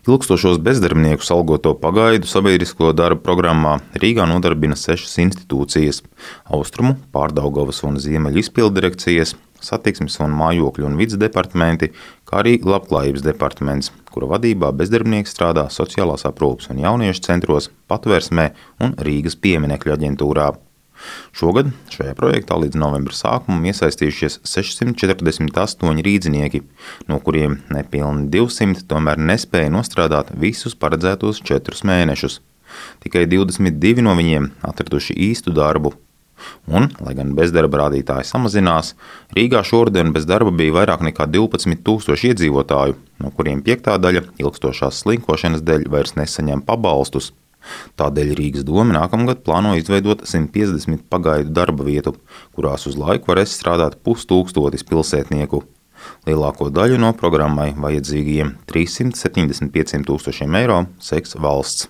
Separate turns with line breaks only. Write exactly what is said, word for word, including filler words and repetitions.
Ilgstošos bezdarbniekus algoto pagaidu sabiedrisko darbu programmā Rīgā nodarbina sešas institūcijas – Austrumu, Pārdaugavas un Ziemeļu izpilddirekcijas, Satiksmes un mājokļu un vides departamenti, kā arī Labklājības departaments, kura vadībā bezdarbnieki strādā sociālās aprūpes un jauniešu centros, Patvērsmē un Rīgas pieminekļu aģentūrā. Šogad šajā projektā līdz novembra sākumam iesaistījušies sešsimt četrdesmit astoņi rīdzinieki, no kuriem nepilni divsimt tomēr nespēja nostrādāt visus paredzētos četrus mēnešus. Tikai divdesmit divi no viņiem atraduši īstu darbu. Un, lai gan bezdarba rādītāji samazinās, Rīgā šoruden bez darba bija vairāk nekā divpadsmit tūkstoši iedzīvotāju, no kuriem piektā daļa ilgstošās slinkošanas dēļ vairs nesaņem pabalstus. Tādēļ Rīgas doma nākamgad plāno izveidot simt piecdesmit pagaidu darba vietu, kurās uz laiku varēs strādāt pustūkstotis pilsētnieku. Lielāko daļu no programmai vajadzīgajiem trīssimt septiņdesmit pieciem tūkstošiem eiro seks valsts.